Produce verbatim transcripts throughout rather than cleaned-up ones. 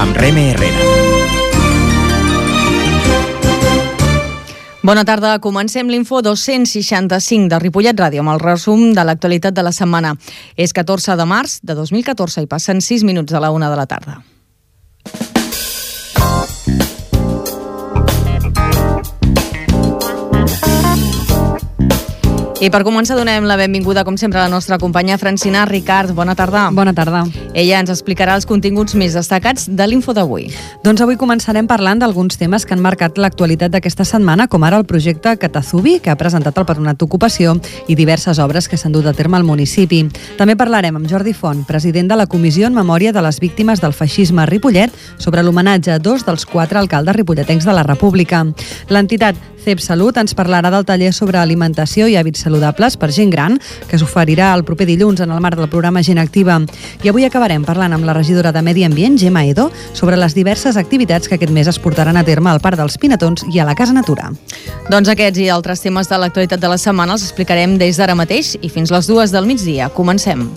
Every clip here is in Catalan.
amb Reme Herrera. Bona tarda, comencem l'Info dos-cents seixanta-cinc de Ripollet Ràdio amb el resum de l'actualitat de la setmana. És catorze de març de dos mil catorze i passen sis minuts de la una de la tarda. I per començar donem la benvinguda, com sempre, a la nostra companya Francina Ricard. Bona tarda. Bona tarda. Ella ens explicarà els continguts més destacats de l'Info d'avui. Doncs avui començarem parlant d'alguns temes que han marcat l'actualitat d'aquesta setmana, com ara el projecte Catazubi, que ha presentat el Patronat d'Ocupació, i diverses obres que s'han dut a terme al municipi. També parlarem amb Jordi Font, president de la Comissió en Memòria de les Víctimes del Feixisme a Ripollet, sobre l'homenatge a dos dels quatre alcaldes ripolletens de la República. L'entitat C E P Salut ens parlarà del taller sobre alimentació i hàbits saludables per gent gran, que s'oferirà el proper dilluns en el marc del programa Gent Activa. I avui acabarem parlant amb la regidora de Medi Ambient, Gemma Edo, sobre les diverses activitats que aquest mes es portaran a terme al Parc dels Pinatons i a la Casa Natura. Doncs aquests i altres temes de l'actualitat de la setmana els explicarem des d'ara mateix i fins les dues del migdia. Comencem.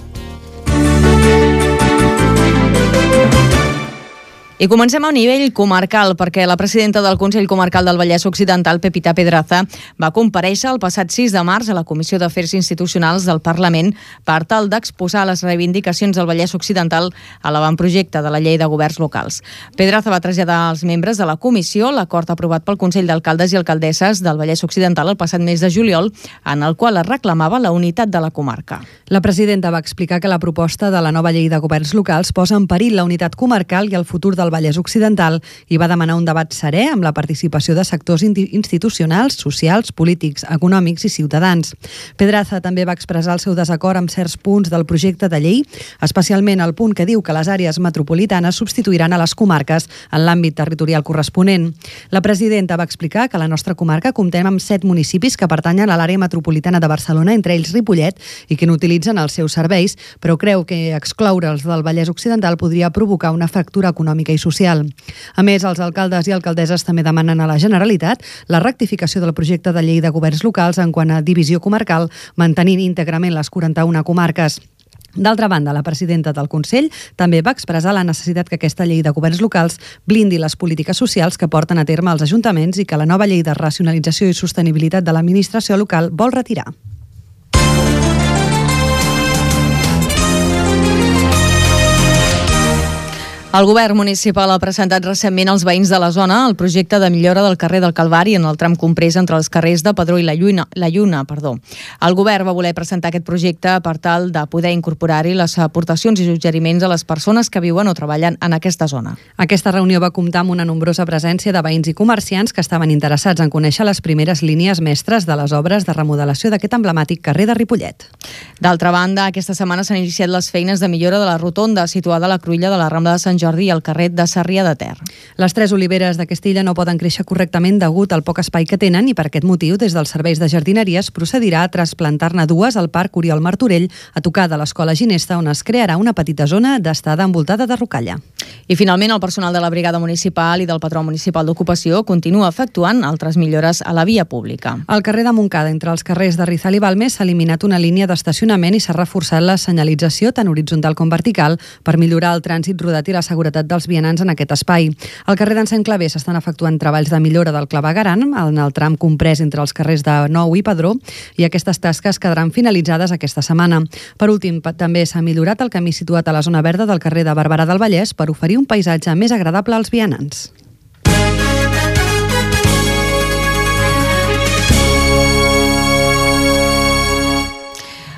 I comencem a nivell comarcal, perquè la presidenta del Consell Comarcal del Vallès Occidental, Pepita Pedraza, va comparèixer el passat sis de març a la Comissió d'Afers Institucionals del Parlament per tal d'exposar les reivindicacions del Vallès Occidental a l'avantprojecte de la Llei de Governs Locals. Pedraza va traslladar als membres de la comissió l'acord aprovat pel Consell d'Alcaldes i Alcaldesses del Vallès Occidental el passat mes de juliol, en el qual es reclamava la unitat de la comarca. La presidenta va explicar que la proposta de la nova Llei de Governs Locals posa en perill la unitat comarcal i el futur del Vallès Occidental i va demanar un debat serè amb la participació de sectors institucionals, socials, polítics, econòmics i ciutadans. Pedraza també va expressar el seu desacord amb certs punts del projecte de llei, especialment el punt que diu que les àrees metropolitanes substituiran a les comarques en l'àmbit territorial corresponent. La presidenta va explicar que a la nostra comarca comptem amb set municipis que pertanyen a l'àrea metropolitana de Barcelona, entre ells Ripollet, i que n'utilitzen els seus serveis, però creu que excloure'ls del Vallès Occidental podria provocar una fractura econòmica i social. A més, els alcaldes i alcaldesses també demanen a la Generalitat la rectificació del projecte de llei de governs locals en quant a divisió comarcal, mantenint íntegrament les quaranta-una comarques. D'altra banda, la presidenta del Consell també va expressar la necessitat que aquesta llei de governs locals blindi les polítiques socials que porten a terme els ajuntaments i que la nova llei de racionalització i sostenibilitat de l'administració local vol retirar. El govern municipal ha presentat recentment als veïns de la zona el projecte de millora del carrer del Calvari en el tram comprès entre els carrers de Padró i la Lluna. La Lluna perdó. El govern va voler presentar aquest projecte per tal de poder incorporar-hi les aportacions i suggeriments a les persones que viuen o treballen en aquesta zona. Aquesta reunió va comptar amb una nombrosa presència de veïns i comerciants que estaven interessats en conèixer les primeres línies mestres de les obres de remodelació d'aquest emblemàtic carrer de Ripollet. D'altra banda, aquesta setmana s'han iniciat les feines de millora de la rotonda situada a la cruïlla de la Rambla de Sant Jordi i al carrer de Sarrià de Ter. Les tres oliveres de Castilla no poden créixer correctament degut al poc espai que tenen i per aquest motiu, des dels serveis de jardineria es procedirà a trasplantar-ne dues al Parc Oriol Martorell, a tocar de l'Escola Ginesta, on es crearà una petita zona d'estada envoltada de rocalla. I finalment, el personal de la Brigada Municipal i del Patró Municipal d'Ocupació continua efectuant altres millores a la via pública. Al carrer de Montcada, entre els carrers de Rizal i Balmes, s'ha eliminat una línia d'estacionament i s'ha reforçat la senyalització tant horitzontal com vertical per millorar el trànsit rodat i la seguretat dels vianants en aquest espai. Al carrer d'en Sant Claver s'estan efectuant treballs de millora del clavegueram en el tram comprès entre els carrers de Nou i Padró i aquestes tasques quedaran finalitzades aquesta setmana. Per últim, també s'ha millorat el camí situat a la zona verda del carrer de Barberà del Vallès per oferir un paisatge més agradable als vianants.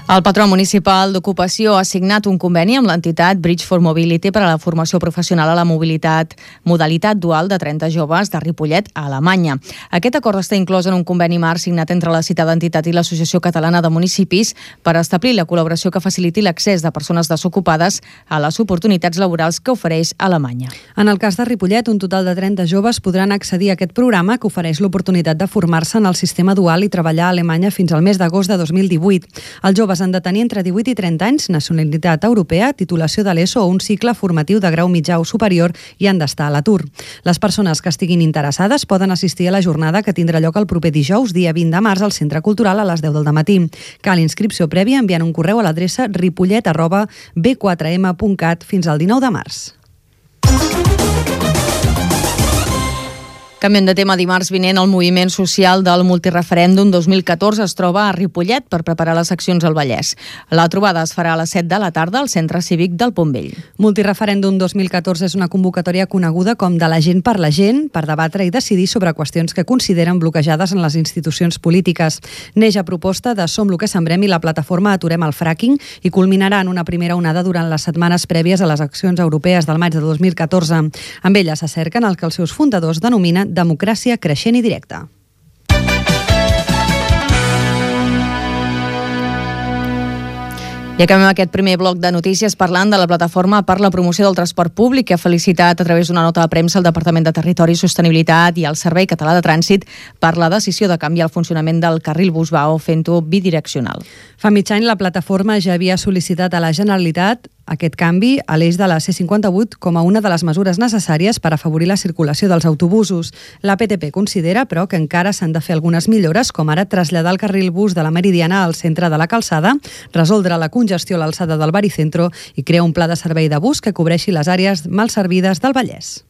El Patró Municipal d'Ocupació ha signat un conveni amb l'entitat Bridge for Mobility per a la formació professional a la mobilitat, modalitat dual de trenta joves de Ripollet a Alemanya. Aquest acord està inclòs en un conveni marc signat entre la citada entitat i l'Associació Catalana de Municipis per establir la col·laboració que faciliti l'accés de persones desocupades a les oportunitats laborals que ofereix Alemanya. En el cas de Ripollet, un total de trenta joves podran accedir a aquest programa que ofereix l'oportunitat de formar-se en el sistema dual i treballar a Alemanya fins al mes d'agost de dos mil divuit. Els joves han de tenir entre divuit i trenta anys, nacionalitat europea, titulació de l'ESO o un cicle formatiu de grau mitjà o superior i han d'estar a l'atur. Les persones que estiguin interessades poden assistir a la jornada que tindrà lloc el proper dijous, dia vint de març, al Centre Cultural a les deu del dematí. Cal inscripció prèvia enviant un correu a l'adreça ripollet arroba b quatre m punt cat fins al dinou de març. Canviem de tema. Dimarts vinent, el moviment social del multireferèndum dos mil catorze es troba a Ripollet per preparar les accions al Vallès. La trobada es farà a les set de la tarda al Centre Cívic del Pont Vell. Multireferèndum dos mil catorze és una convocatòria coneguda com de la gent per la gent, per debatre i decidir sobre qüestions que consideren bloquejades en les institucions polítiques. Neix a proposta de Som lo que sembrem i la plataforma Aturem el fracking i culminarà en una primera onada durant les setmanes prèvies a les accions europees del maig de dos mil catorze. Amb ella s'acerquen el que els seus fundadors denominen democràcia creixent i directa. I acabem aquest primer bloc de notícies parlant de la plataforma per la promoció del transport públic, que ha felicitat a través d'una nota de premsa el Departament de Territori i Sostenibilitat i el Servei Català de Trànsit per la decisió de canviar el funcionament del carril Busbao fent-ho bidireccional. Fa mig any la plataforma ja havia sol·licitat a la Generalitat aquest canvi a l'eix de la C cinquanta-vuit com a una de les mesures necessàries per afavorir la circulació dels autobusos. La P T P considera, però, que encara s'han de fer algunes millores, com ara traslladar el carril bus de la Meridiana al centre de la calçada, resoldre la congestió a l'alçada del Baricentro i crear un pla de servei de bus que cobreixi les àrees mal servides del Vallès.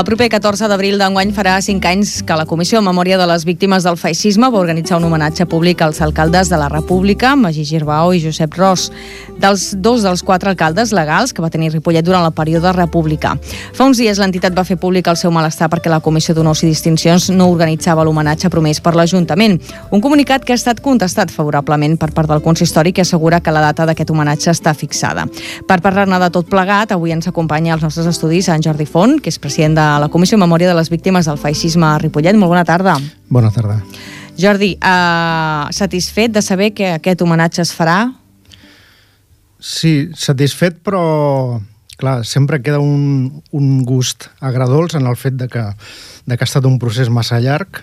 El proper catorze d'abril d'enguany farà cinc anys que la Comissió en Memòria de les Víctimes del Feixisme va organitzar un homenatge públic als alcaldes de la República, Magí Girbau i Josep Ros, dels dos dels quatre alcaldes legals que va tenir Ripollet durant el període republicà. Fa uns dies l'entitat va fer públic el seu malestar perquè la Comissió d'Honors i Distincions no organitzava l'homenatge promès per l'Ajuntament. Un comunicat que ha estat contestat favorablement per part del consistori, que assegura que la data d'aquest homenatge està fixada. Per parlar-ne de tot plegat, avui ens acompanya als nostres estudis en Jordi Font, que és president de la Comissió en Memòria de les Víctimes del Feixisme a Ripollet. Molt bona tarda. Bona tarda. Jordi, eh, satisfet de saber que aquest homenatge es farà? Sí, satisfet, però clar, sempre queda un, un gust agredolç en el fet de que, de que ha estat un procés massa llarg.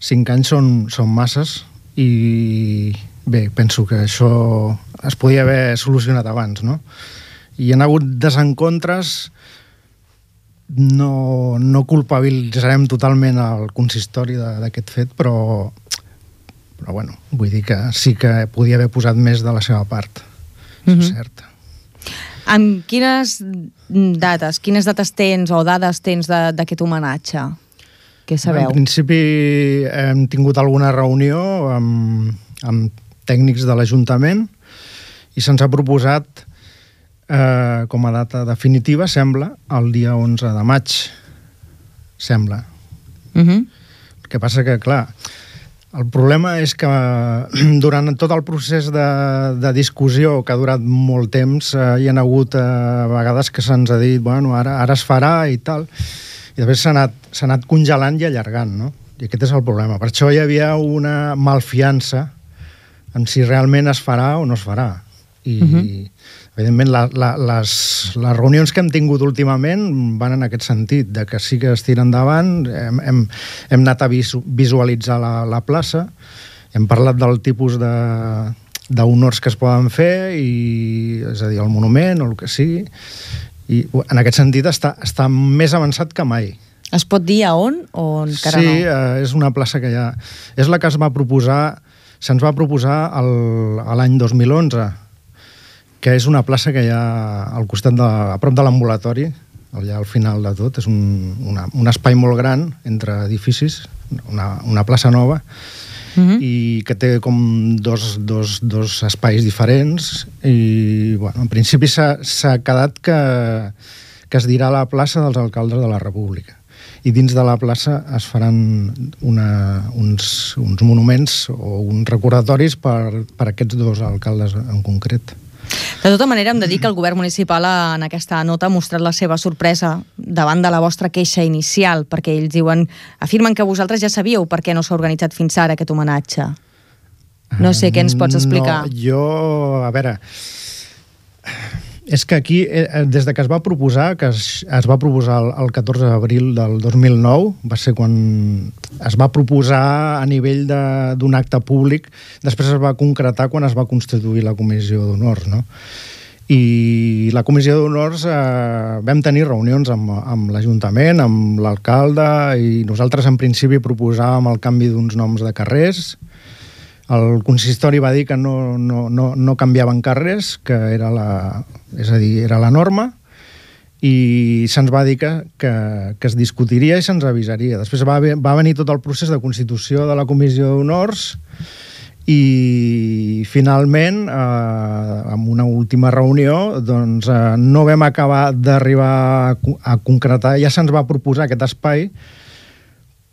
Cinc anys són, són masses i bé, penso que això es podia haver solucionat abans, no? I hi ha hagut desencontres. No, no culpabilitzarem totalment el consistori d'aquest fet, però, però bueno, vull dir que sí que podia haver posat més de la seva part, això és cert. Amb quines dates, quines dates tens o dades tens d'aquest homenatge? Què sabeu? En principi hem tingut alguna reunió amb, amb tècnics de l'Ajuntament i se'ns ha proposat Eh, com a data definitiva, sembla, el dia onze de maig. Sembla. Uh-huh. El que passa que, clar, el problema és que durant tot el procés de, de discussió, que ha durat molt temps, eh, hi ha hagut eh, vegades que se'ns ha dit, bueno, ara, ara es farà i tal, i després s'ha anat, s'ha anat congelant i allargant, no? I aquest és el problema. Per això hi havia una malfiança en si realment es farà o no es farà. I... Uh-huh. Evidentment, la, la, les, les reunions que hem tingut últimament van en aquest sentit, de que sí que es tira endavant, hem, hem, hem anat a visu, visualitzar la, la plaça, hem parlat del tipus de, d'honors que es poden fer, i, és a dir, el monument o el que sigui, i en aquest sentit està, està més avançat que mai. Es pot dir a on o encara sí, no? Sí, eh, és una plaça que ja... És la que es va proposar, se'ns va proposar el, l'any dos mil onze, que és una plaça que hi ha al costat de, a prop de l'ambulatori, allà al final de tot, és un, una, un espai molt gran entre edificis, una, una plaça nova, uh-huh. i que té com dos, dos, dos espais diferents, i bueno, en principi s'ha, s'ha quedat que, que es dirà la plaça dels alcaldes de la República. I dins de la plaça es faran una, uns, uns monuments o uns recordatoris per, per aquests dos alcaldes en concret. De tota manera, hem de dir que el govern municipal en aquesta nota ha mostrat la seva sorpresa davant de la vostra queixa inicial, perquè ells diuen, afirmen que vosaltres ja sabíeu per què no s'ha organitzat fins ara aquest homenatge. No sé què ens pots explicar. No, jo, a veure, és que aquí, des de que es va proposar, que es, es va proposar el, el catorze d'abril del dos mil nou, va ser quan es va proposar a nivell d'un acte públic, després es va concretar quan es va constituir la Comissió d'Honors, no? I la Comissió d'Honors eh, vam tenir reunions amb, amb l'Ajuntament, amb l'alcalde, i nosaltres en principi proposàvem el canvi d'uns noms de carrers. El consistori va dir que no, no, no, no canviaven carrers, que era la, és a dir, era la norma, i se'ns va dir que, que, que es discutiria i se'ns avisaria. Després va, va venir tot el procés de constitució de la Comissió d'Honors i finalment, eh, en una última reunió, doncs, eh, no vam acabar d'arribar a, a concretar, ja se'ns va proposar aquest espai,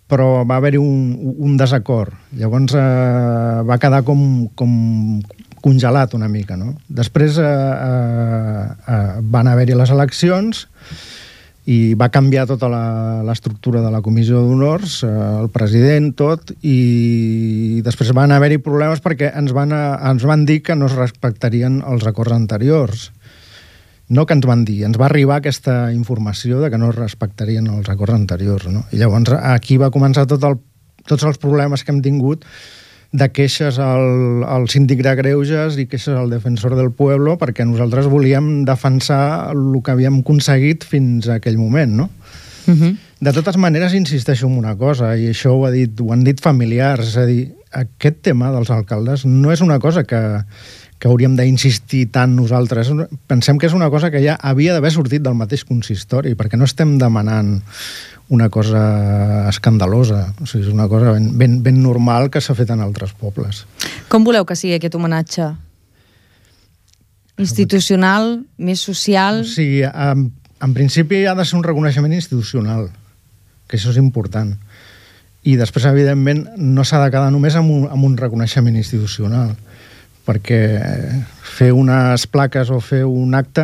però va haver-hi un, un desacord. Llavors eh, va quedar com, com congelat una mica, no? Després eh, eh, van haver-hi les eleccions i va canviar tota l'estructura de la Comissió d'Honors, eh, el president, tot, i després van haver-hi problemes perquè ens van, ens van dir que no es respectarien els acords anteriors. No que ens van dir, ens va arribar aquesta informació de que no es respectarien els acords anteriors, no? I llavors aquí va començar tot el, tots els problemes que hem tingut de queixes al, al síndic de greuges i queixes al defensor del pueblo, perquè nosaltres volíem defensar el que havíem aconseguit fins a aquell moment, no? Uh-huh. De totes maneres, insisteixo en una cosa, i això ho, ha dit, ho han dit familiars, és a dir, aquest tema dels alcaldes no és una cosa que que hauríem d'insistir tant nosaltres. Pensem que és una cosa que ja havia d'haver sortit del mateix consistori, perquè no estem demanant una cosa escandalosa. O sigui, és una cosa ben, ben, ben normal que s'ha fet en altres pobles. Com voleu que sigui aquest homenatge? Institucional, més social? O sigui, en, en principi ha de ser un reconeixement institucional, que això és important. I després, evidentment, no s'ha de quedar només amb un, amb un reconeixement institucional, perquè fer unes plaques o fer un acte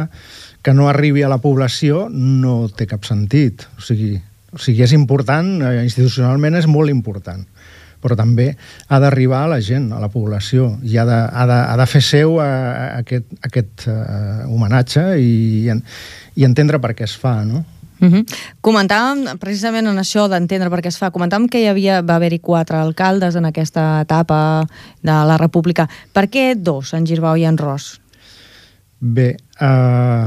que no arribi a la població no té cap sentit. O sigui, o sigui és important, institucionalment és molt important, però també ha d'arribar a la gent, a la població, i ha de, ha de, ha de fer seu a, a aquest, a aquest uh, homenatge i, i entendre per què es fa, no? Uh-huh. Comentàvem precisament en això d'entendre per què es fa, comentàvem que hi havia, va haver-hi quatre alcaldes en aquesta etapa de la República. Per què dos, en Girbau i en Ros? Bé, eh,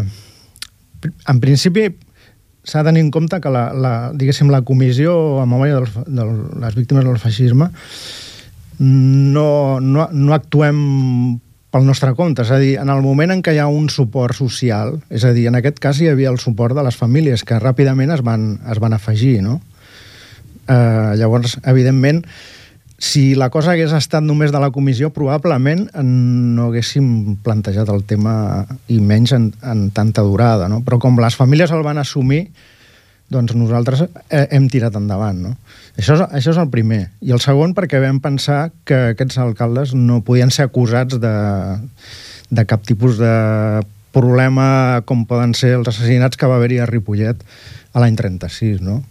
en principi s'ha de tenir en compte que la, la, diguéssim, la Comissió en memòria de, de les víctimes del feixisme no, no, no actuem pel nostre compte, és a dir, en el moment en què hi ha un suport social, és a dir, en aquest cas hi havia el suport de les famílies que ràpidament es van, es van afegir, no? Eh, llavors, evidentment, si la cosa hagués estat només de la comissió, probablement no haguéssim plantejat el tema i menys en, en tanta durada, no? Però com les famílies el van assumir, doncs nosaltres hem tirat endavant, no? Això és, això és el primer. I el segon, perquè vam pensar que aquests alcaldes no podien ser acusats de, de cap tipus de problema com poden ser els assassinats que va haver-hi a Ripollet a l'any trenta-sis, no?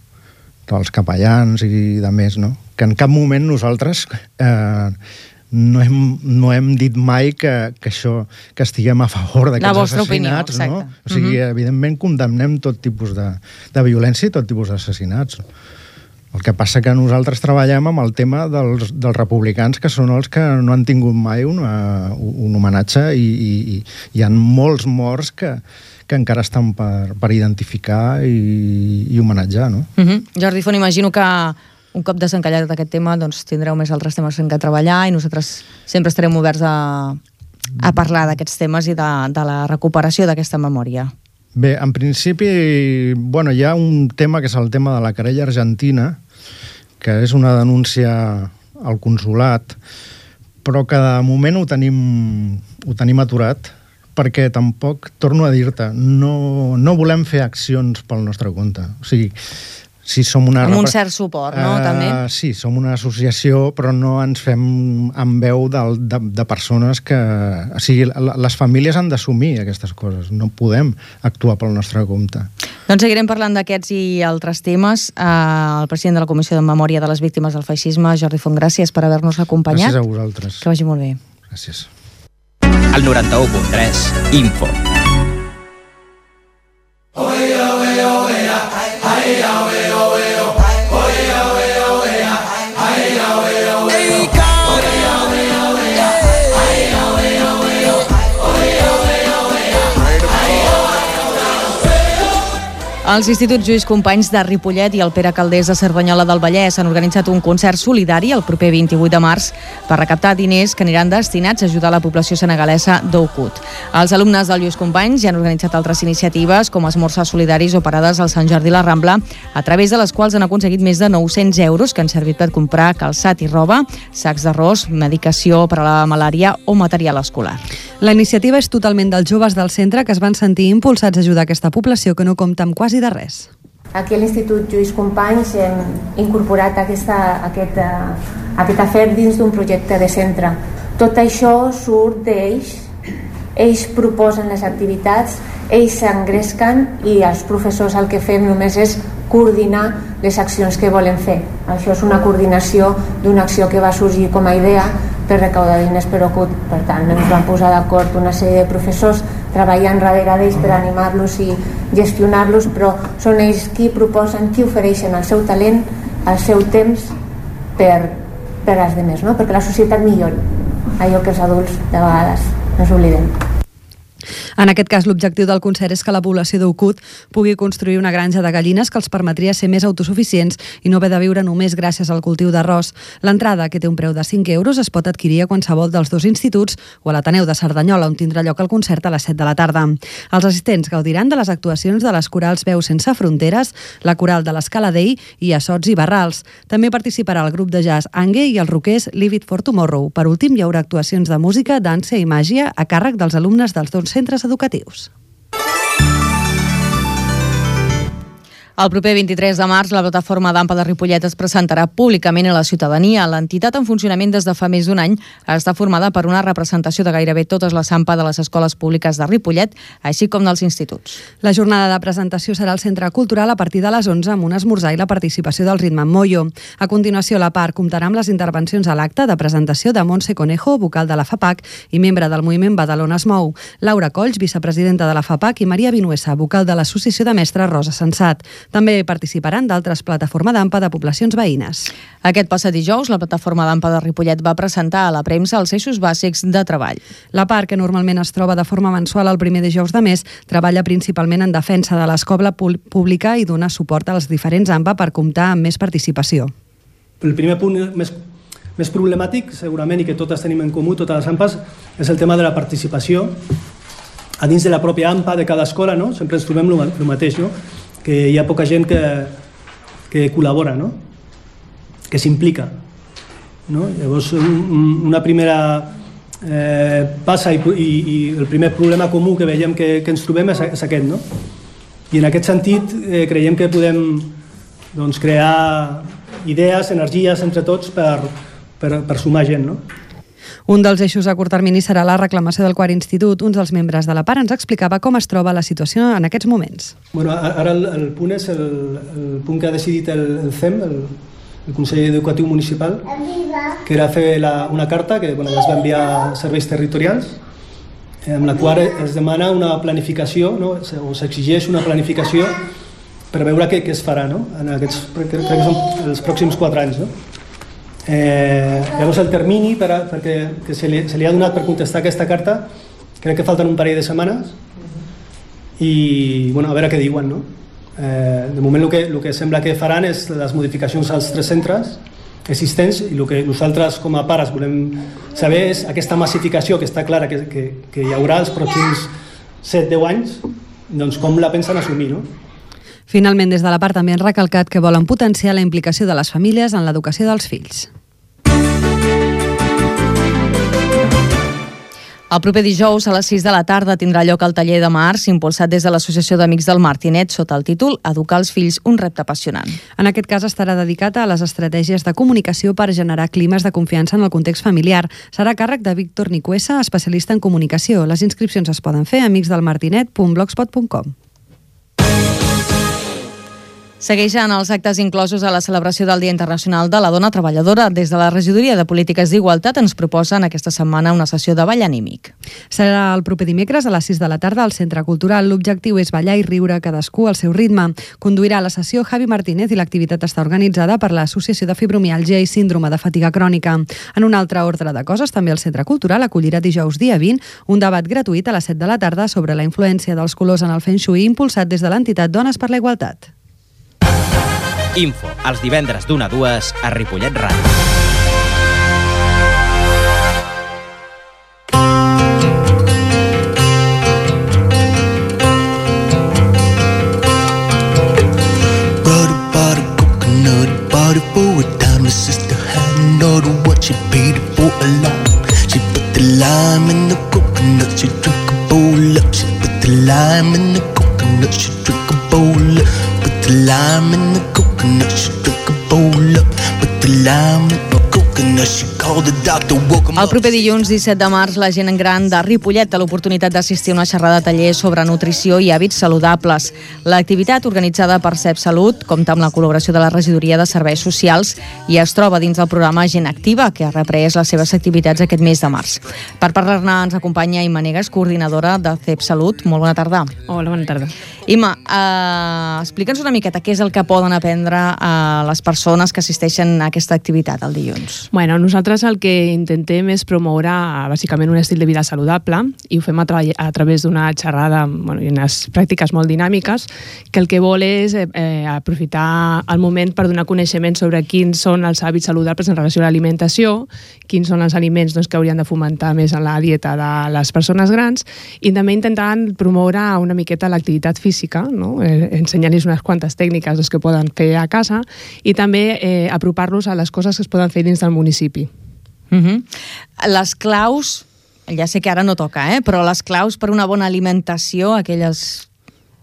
Els capellans i de més, no? Que en cap moment nosaltres eh, no, hem, no hem dit mai que, que això, que estiguem a favor d'aquests assassinats, opinió, no? O sigui, uh-huh. evidentment condemnem tot tipus de, de violència i tot tipus d'assassinats. El que passa que nosaltres treballem amb el tema dels, dels republicans, que són els que no han tingut mai una, un homenatge i, i, i hi ha molts morts que, que encara estan per, per identificar i, i homenatjar, no? Uh-huh. Jordi Font, imagino que un cop desencallat aquest tema doncs tindreu més altres temes en què treballar i nosaltres sempre estarem oberts a, a parlar d'aquests temes i de, de la recuperació d'aquesta memòria. Bé, en principi, bueno, hi ha un tema que és el tema de la querella argentina, que és una denúncia al consolat, però que de moment ho tenim, ho tenim aturat, perquè tampoc, torno a dir-te, no, no volem fer accions pel nostre compte. O sigui, si som una... Amb un cert suport, no? Uh, també? Sí, som una associació, però no ens fem amb veu de, de, de persones que... O sigui, les famílies han d'assumir aquestes coses. No podem actuar pel nostre compte. Doncs seguirem parlant d'aquests i altres temes. Uh, el president de la Comissió de Memòria de les Víctimes del Feixisme, Jordi Font, gràcies per haver-nos acompanyat. Gràcies a vosaltres. Que vagi molt bé. Gràcies. El noranta-u punt tres, Info. Els instituts Lluís Companys de Ripollet i el Pere Calders de Cerdanyola del Vallès han organitzat un concert solidari el proper vint-i-vuit de març per recaptar diners que aniran destinats a ajudar la població senegalesa d'Oukud. Els alumnes del Lluís Companys ja han organitzat altres iniciatives com esmorzars solidaris o parades al Sant Jordi i la Rambla, a través de les quals han aconseguit més de nou-cents euros que han servit per comprar calçat i roba, sacs d'arròs, medicació per a la malària o material escolar. La iniciativa és totalment dels joves del centre que es van sentir impulsats a ajudar aquesta població que no compta amb quasi de res. Aquí a l'Institut Lluís Companys hem incorporat aquesta, aquest, uh, aquest afer dins d'un projecte de centre. Tot això surt d'ells, ells proposen les activitats, ells s'engresquen i els professors el que fem només és coordinar les accions que volen fer. Això és una coordinació d'una acció que va sorgir com a idea per recaudar diners per Oukud. Per tant, ens van posar d'acord una sèrie de professors treballant darrere d'ells per animar-los i gestionar-los, però són ells qui proposen, qui ofereixen el seu talent, el seu temps per, per als altres, no? Perquè la societat millori, allò que els adults de vegades ens oblidem. En aquest cas, l'objectiu del concert és que la població d'Oukud pugui construir una granja de gallines que els permetria ser més autosuficients i no haver de viure només gràcies al cultiu d'arròs. L'entrada, que té un preu de cinc euros, es pot adquirir a qualsevol dels dos instituts o a l'Ateneu de Cerdanyola, on tindrà lloc el concert a les set de la tarda. Els assistents gaudiran de les actuacions de les corals Veus Sense Fronteres, la coral de l'Escala Dei i Assots i Barrals. També participarà el grup de jazz Angue i els roquers Leave It for Tomorrow. Per últim, hi haurà actuacions de música, dansa i màgia a càrrec dels alumnes dels dos centres educatius. El proper vint-i-tres de març, la plataforma d'A M P A de Ripollet es presentarà públicament a la ciutadania. L'entitat, en funcionament des de fa més d'un any, està formada per una representació de gairebé totes les A M P A de les escoles públiques de Ripollet, així com dels instituts. La jornada de presentació serà al Centre Cultural a partir de les onze, amb un esmorzar i la participació del Ritme Moyo. A continuació, la part comptarà amb les intervencions a l'acte de presentació de Montse Conejo, vocal de la FAPAC i membre del moviment Badalona es Mou, Laura Colls, vicepresidenta de la FAPAC, i Maria Vinuesa, vocal de l'Associació de Mestres Rosa Sensat. També participaran d'altres plataformes d'A M P A de poblacions veïnes. Aquest passat dijous, la plataforma d'A M P A de Ripollet va presentar a la premsa els eixos bàsics de treball. La part, que normalment es troba de forma mensual el primer dijous de mes, treballa principalment en defensa de l'escola pública i dona suport als diferents A M P A per comptar amb més participació. El primer punt més, més problemàtic, segurament, i que totes tenim en comú, totes les A M P As, és el tema de la participació a dins de la pròpia A M P A de cada escola, no? Sempre ens trobem el mateix, no? Que hi ha poca gent que, que col·labora, no? Que s'implica, no? Llavors, un, una primera eh, passa i, i, i el primer problema comú que veiem que, que ens trobem és, és aquest, no? I en aquest sentit eh, creiem que podem doncs, crear idees, energies entre tots per, per, per sumar gent, no? Un dels eixos a curt termini serà la reclamació del quart institut. Un dels membres de la part ens explicava com es troba la situació en aquests moments. Bueno, ara el, el punt és el, el punt que ha decidit el, el C E M, el, el Consell Educatiu Municipal, que era fer la, una carta que bueno, ja es va enviar a serveis territorials, amb la qual es demana una planificació, no? O s'exigeix una planificació per veure què, què es farà, no? En aquests, crec que són els pròxims quatre anys, no? Eh, llavors el termini per a, perquè, que se li, se li ha donat per contestar aquesta carta, crec que falten un parell de setmanes i bueno, a veure què diuen, no? Eh, de moment el que, el que sembla que faran és les modificacions als tres centres existents i el que nosaltres com a pares volem saber és aquesta massificació que està clara que, que, que hi haurà els pròxims set deu anys, doncs com la pensen assumir, no? Finalment, des de la part també han recalcat que volen potenciar la implicació de les famílies en l'educació dels fills. El proper dijous a les sis de la tarda tindrà lloc el taller de març impulsat des de l'Associació d'Amics del Martinet sota el títol Educar els fills, un repte apassionant. En aquest cas estarà dedicat a les estratègies de comunicació per generar climes de confiança en el context familiar. Serà a càrrec de Víctor Nicuesa, especialista en comunicació. Les inscripcions es poden fer a amics del martinet punt blogspot punt com. Segueixen els actes inclosos a la celebració del Dia Internacional de la Dona Treballadora. Des de la Regidoria de Polítiques d'Igualtat ens proposen aquesta setmana una sessió de ball anímic. Serà el proper dimecres a les sis de la tarda al Centre Cultural. L'objectiu és ballar i riure cadascú al seu ritme. Conduirà la sessió Javi Martínez i l'activitat està organitzada per l'Associació de Fibromiàlgia i Síndrome de Fatiga Crònica. En un altre ordre de coses, també el Centre Cultural acollirà dijous dia vint un debat gratuït a les set de la tarda sobre la influència dels colors en el Feng Shui impulsat des de l'entitat Dones per la Igualtat. Info, els divendres d'una a dues a Ripollet Ràdio. Brother bought a coconut, bought it for a dime. My sister hadn't ordered what she paid it for a lot. She put the lime in the coconut, she drank a bowl up. She put the lime in the coconut, she drank a bowl up. Put the lime in the coconut, she drank a bowl up. Put the lime in the coconut, she called the doctor, woke him up. El proper dilluns disset de març, la gent gran de Ripollet té l'oportunitat d'assistir a una xerrada de taller sobre nutrició i hàbits saludables. L'activitat, organitzada per C E P Salut, compta amb la col·laboració de la Regidoria de Serveis Socials i es troba dins del programa Gent Activa, que ha reprès les seves activitats aquest mes de març. Per parlar-ne ens acompanya Imma Negas, coordinadora de C E P Salut. Molt bona tarda. Hola, bona tarda. Imma, eh, explica'ns una miqueta què és el que poden aprendre a les persones que assisteixen a aquesta activitat el dilluns. Bueno, nosaltres el que intentem és promoure bàsicament un estil de vida saludable i ho fem a, tra a través d'una xerrada, bueno, i unes pràctiques molt dinàmiques, que el que vol és eh, aprofitar el moment per donar coneixement sobre quins són els hàbits saludables en relació a l'alimentació, quins són els aliments doncs, que haurien de fomentar més en la dieta de les persones grans, i també intentant promoure una miqueta l'activitat física, no? eh, ensenyant-los unes quantes tècniques doncs, que poden fer a casa i també eh, apropar-los a les coses que es poden fer dins del municipi. Uh -huh. Les claus, ja sé que ara no toca, eh? però les claus per una bona alimentació, aquelles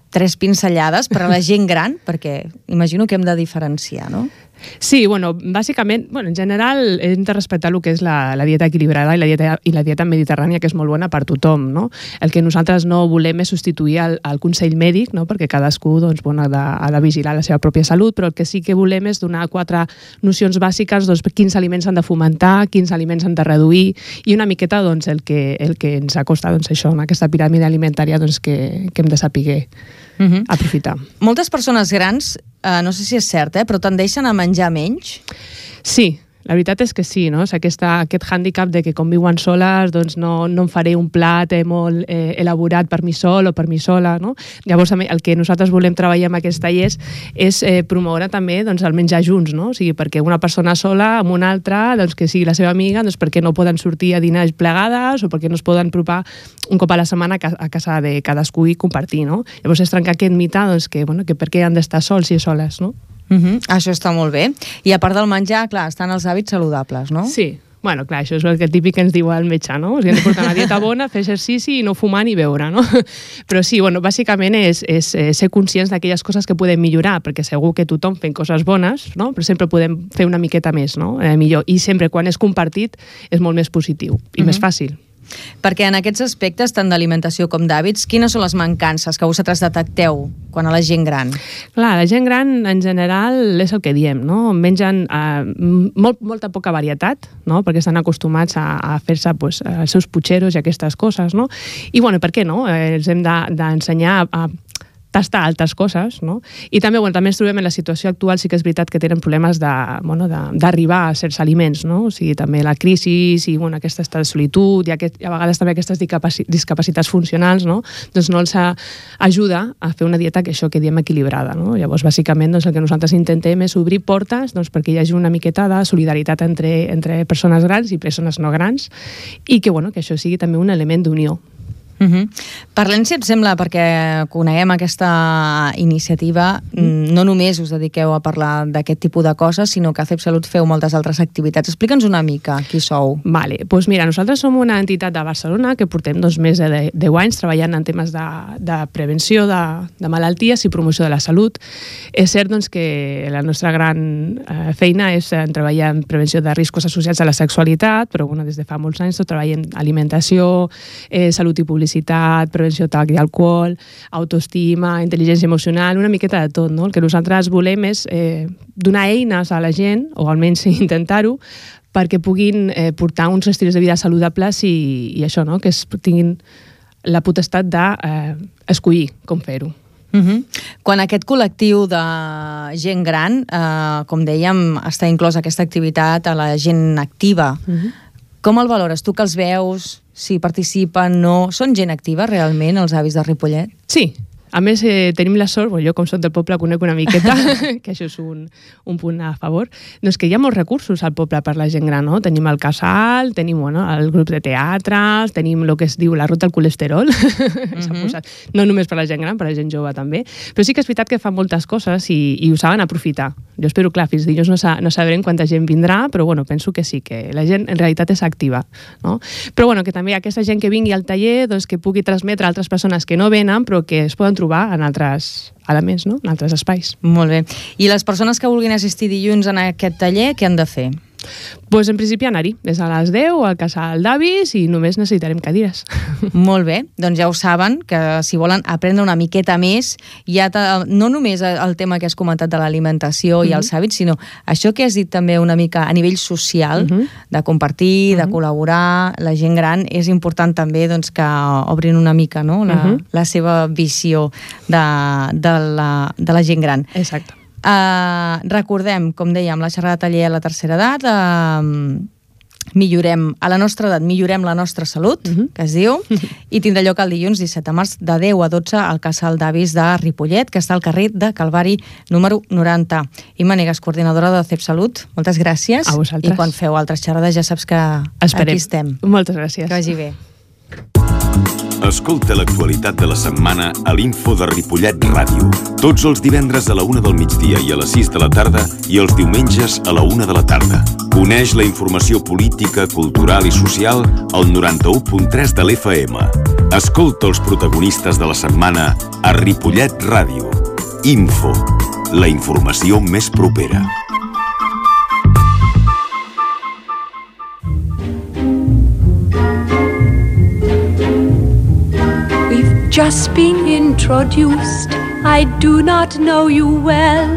tres pinzellades per a la gent gran, perquè imagino que hem de diferenciar, no? Sí, bueno, bàsicament, bueno, en general hem de respectar el que és la, la dieta equilibrada i la dieta, i la dieta mediterrània, que és molt bona per tothom, no? El que nosaltres no volem és substituir el, el consell mèdic, no? Perquè cadascú doncs, bueno, ha, de, ha de vigilar la seva pròpia salut, però el que sí que volem és donar quatre nocions bàsiques, doncs, quins aliments han de fomentar, quins aliments han de reduir, i una miqueta doncs, el, que, el que ens acosta doncs, això, en aquesta piràmide alimentària doncs, que, que hem de saber uh -huh. aprofitar. Moltes persones grans, eh, no sé si és cert, eh, però tendeixen a menjar menys? Sí, la veritat és que sí, no? És aquesta, aquest hàndicap de que com viuen soles doncs no, no em faré un plat eh, molt eh, elaborat per mi sol o per mi sola, no? Llavors el que nosaltres volem treballar amb aquests tallers és eh, promoure també doncs, el menjar junts, no? O sigui, perquè una persona sola amb una altra, doncs, que sigui la seva amiga, doncs perquè no poden sortir a dinar plegades o perquè no es poden apropar un cop a la setmana a casa de cadascú i compartir, no? Llavors és trencar aquest mite doncs, que, bueno, que per què han d'estar sols i soles, no? Uh -huh. Això està molt bé. I a part del menjar, clar, estan els hàbits saludables, no? Sí. Bueno, clar, això és el que típic que ens diu el metge, no? O sigui, hem de portar una dieta bona, fer exercici i no fumar ni beure, no? Però sí, bueno, bàsicament és, és, és ser conscients d'aquelles coses que podem millorar, perquè segur que tothom fent coses bones, no? Però sempre podem fer una miqueta més, no? Eh, millor. I sempre, quan és compartit, és molt més positiu i uh-huh. més fàcil. Perquè en aquests aspectes, tant d'alimentació com d'hàbits, quines són les mancances que vosaltres detecteu quan a la gent gran? Clar, la gent gran, en general, és el que diem, no? Mengen eh, molt, molta poca varietat, no? Perquè estan acostumats a, a fer-se pues, els seus putxeros i aquestes coses, no? I, bueno, per què no? Eh, els hem d'ensenyar de, a tastar altres coses, no? I també, bueno, també ens trobem en la situació actual, sí que és veritat que tenen problemes d'arribar bueno, a certs aliments, no? O sigui, també la crisi i bueno, aquesta estat de solitud i aquest, a vegades també aquestes discapacitats funcionals, no? Doncs no els ajuda a fer una dieta que això que diem equilibrada, no? Llavors, bàsicament, doncs, el que nosaltres intentem és obrir portes doncs, perquè hi hagi una miqueta de solidaritat entre, entre persones grans i persones no grans i que, bueno, que això sigui també un element d'unió. Uh -huh. Parlem, si et sembla, perquè coneguem aquesta iniciativa, mm. no només us dediqueu a parlar d'aquest tipus de coses, sinó que a C E P Salut feu moltes altres activitats. Explica'ns una mica qui sou. Vale, doncs mira, nosaltres som una entitat de Barcelona que portem doncs, més de deu anys treballant en temes de, de prevenció de, de malalties i promoció de la salut. És cert doncs, que la nostra gran eh, feina és en treballar en prevenció de riscos associats a la sexualitat, però bueno, des de fa molts anys treballem alimentació, eh, salut i publicitat felicitat, prevenció tabac i alcohol, autoestima, intel·ligència emocional, una miqueta de tot, no? El que nosaltres volem és eh, donar eines a la gent, o almenys intentar-ho, perquè puguin eh, portar uns estils de vida saludables i, i això, no? Que es, tinguin la potestat d'escollir eh, com fer-ho. Uh-huh. Quan aquest col·lectiu de gent gran, eh, com dèiem, està inclòs aquesta activitat a la gent activa, uh-huh. com el valores? Tu que els veus, si participen, no... Són gent activa realment, els avis de Ripollet? Sí. A més, eh, tenim la sort, bueno, jo com soc del poble conec una miqueta, que això és un, un punt a favor, doncs que hi ha molts recursos al poble per la gent gran, no? Tenim el casal, tenim bueno, el grup de teatre, tenim el que es diu la ruta al colesterol, mm-hmm. posat, no només per la gent gran, per la gent jove també, però sí que és veritat que fan moltes coses i, i ho saben aprofitar. Jo espero, clar, fins dilluns no, sa, no sabrem quanta gent vindrà, però bueno, penso que sí, que la gent en realitat és activa, no? Però bueno, que també aquesta gent que vingui al taller, doncs que pugui transmetre a altres persones que no venen, però que es poden trobar en altres elements, no? En altres espais. Molt bé. I les persones que vulguin assistir dilluns en aquest taller, què han de fer? Pues en principi anar-hi, des a les deu al casal d'avis i només necessitarem cadires. Molt bé, doncs ja ho saben, que si volen aprendre una miqueta més, ja no només el tema que has comentat de l'alimentació mm-hmm. i els hàbits, sinó això que has dit també una mica a nivell social, mm-hmm. de compartir, mm-hmm. de col·laborar, la gent gran, és important també doncs, que obrin una mica no? la, mm-hmm. la seva visió de, de, la, de la gent gran. Exacte. Uh, recordem, com dèiem, la xerrada taller a la tercera edat, uh, millorem, a la nostra edat, millorem la nostra salut, uh-huh. que es diu, i tindrà lloc el dilluns disset de març de deu a dotze al casal d'avis de Ripollet, que està al carrer de Calvari número noranta. Imma Negas, coordinadora de C E P Salut, moltes gràcies. A vosaltres. I quan feu altres xerrades ja saps que Esperem. Aquí estem. Moltes gràcies. Que vagi bé. Escolta l'actualitat de la setmana a l'Info de Ripollet Ràdio. Tots els divendres a la una del migdia i a les sis de la tarda i els diumenges a la una de la tarda. Coneix la informació política, cultural i social al noranta-u punt tres de l'F M. Escolta els protagonistes de la setmana a Ripollet Ràdio. Info, la informació més propera. Just been introduced, I do not know you well,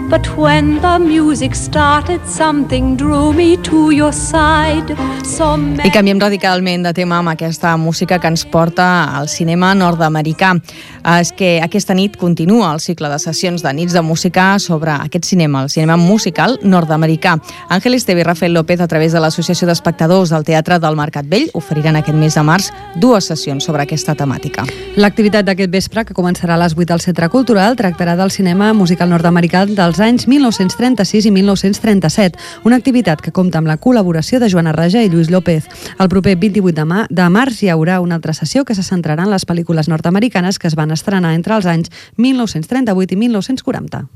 but when the music started, something drew me to your side. So many... I canviem radicalment de tema amb aquesta música que ens porta al cinema nord-americà. És que aquesta nit continua el cicle de sessions de nits de música sobre aquest cinema, el cinema musical nord-americà. Àngel Esteve i Rafael López, a través de l'Associació d'Espectadors del Teatre del Mercat Vell, oferiran aquest mes de març dues sessions sobre aquesta temàtica. L'activitat d'aquest vespre, que començarà a les vuit al Centre Cultural, tractarà del cinema musical nord-americà dels anys mil nou-cents trenta-sis i mil nou-cents trenta-set, una activitat que compta amb la col·laboració de Joana Raja i Lluís López. El proper vint-i-vuit de, ma- de març hi haurà una altra sessió que se centrarà en les pel·lícules nord-americanes que es van estrenar entre els anys mil nou-cents trenta-vuit i mil nou-cents quaranta.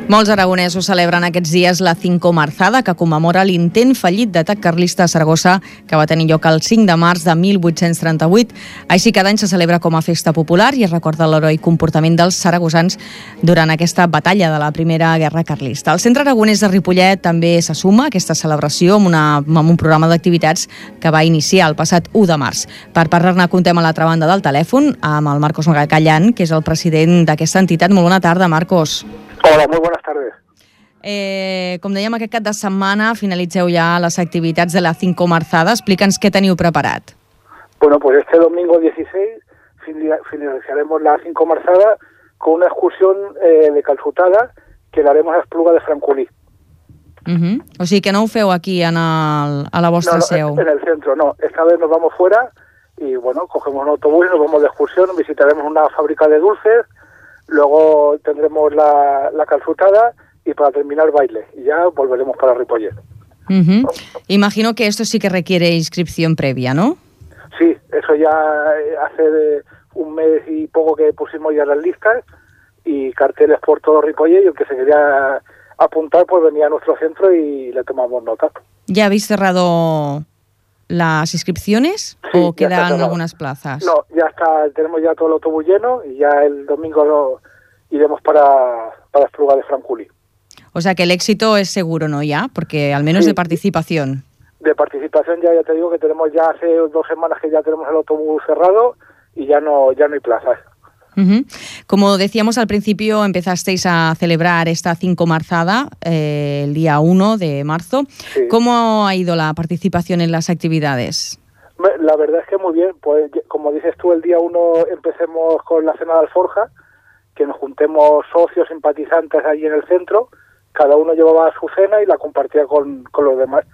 Molts aragonesos celebren aquests dies la Cinco Marzada, que commemora l'intent fallit d'atac carlista a Saragossa, que va tenir lloc el cinc de març de mil vuit-cents trenta-vuit. Així cada any se celebra com a festa popular i es recorda l'heroi comportament dels saragossans durant aquesta batalla de la Primera Guerra Carlista. El Centre Aragonès de Ripollet també se suma a aquesta celebració amb, una, amb un programa d'activitats que va iniciar el passat u de març. Per parlar-ne contem a l'altra banda del telèfon amb el Marcos Magacallan, que és el president d'aquesta entitat. Molt bona tarda, Marcos. Hola, muy buenas tardes. Eh, com dèiem, aquest cap de setmana finalitzeu ja les activitats de la Cinco Marzada. Explica'ns què teniu preparat. Bueno, pues este domingo dieciséis finalizaremos la Cinco Marzada con una excursión eh, de calçotada que la haremos a Espluga de Francolí. Uh-huh. O sigui que no ho feu aquí en el, a la vostra no, no, seu. En el centro, no. Esta vez nos vamos fuera y, bueno, cogemos un autobús y nos vamos de excursión, visitaremos una fábrica de dulces. Luego tendremos la, la calçotada y para terminar baile. Y ya volveremos para Ripollet. Uh-huh. Imagino que esto sí que requiere inscripción previa, ¿no? Sí, eso ya hace un mes y poco que pusimos ya las listas y carteles por todo Ripollet, y el que se quería apuntar pues venía a nuestro centro y le tomamos nota. ¿Ya habéis cerrado las inscripciones Sí, o ya está quedan cerrado. algunas plazas? No, ya está, tenemos ya todo el autobús lleno y ya el domingo lo iremos para, para Espluga de Francolí. O sea que el éxito es seguro, ¿no? Ya, porque al menos Sí. de participación. De participación ya, ya te digo que tenemos ya hace dos semanas que ya tenemos el autobús cerrado y ya no, ya no hay plazas. Uh-huh. Como decíamos al principio, empezasteis a celebrar esta cinco marzada eh, el día uno de marzo. Sí. ¿Cómo ha ido la participación en las actividades? La verdad es que muy bien, pues como dices tú, el día uno empecemos con la cena de alforja, que nos juntemos socios, simpatizantes allí en el centro, cada uno llevaba su cena y la compartía con, con los demás.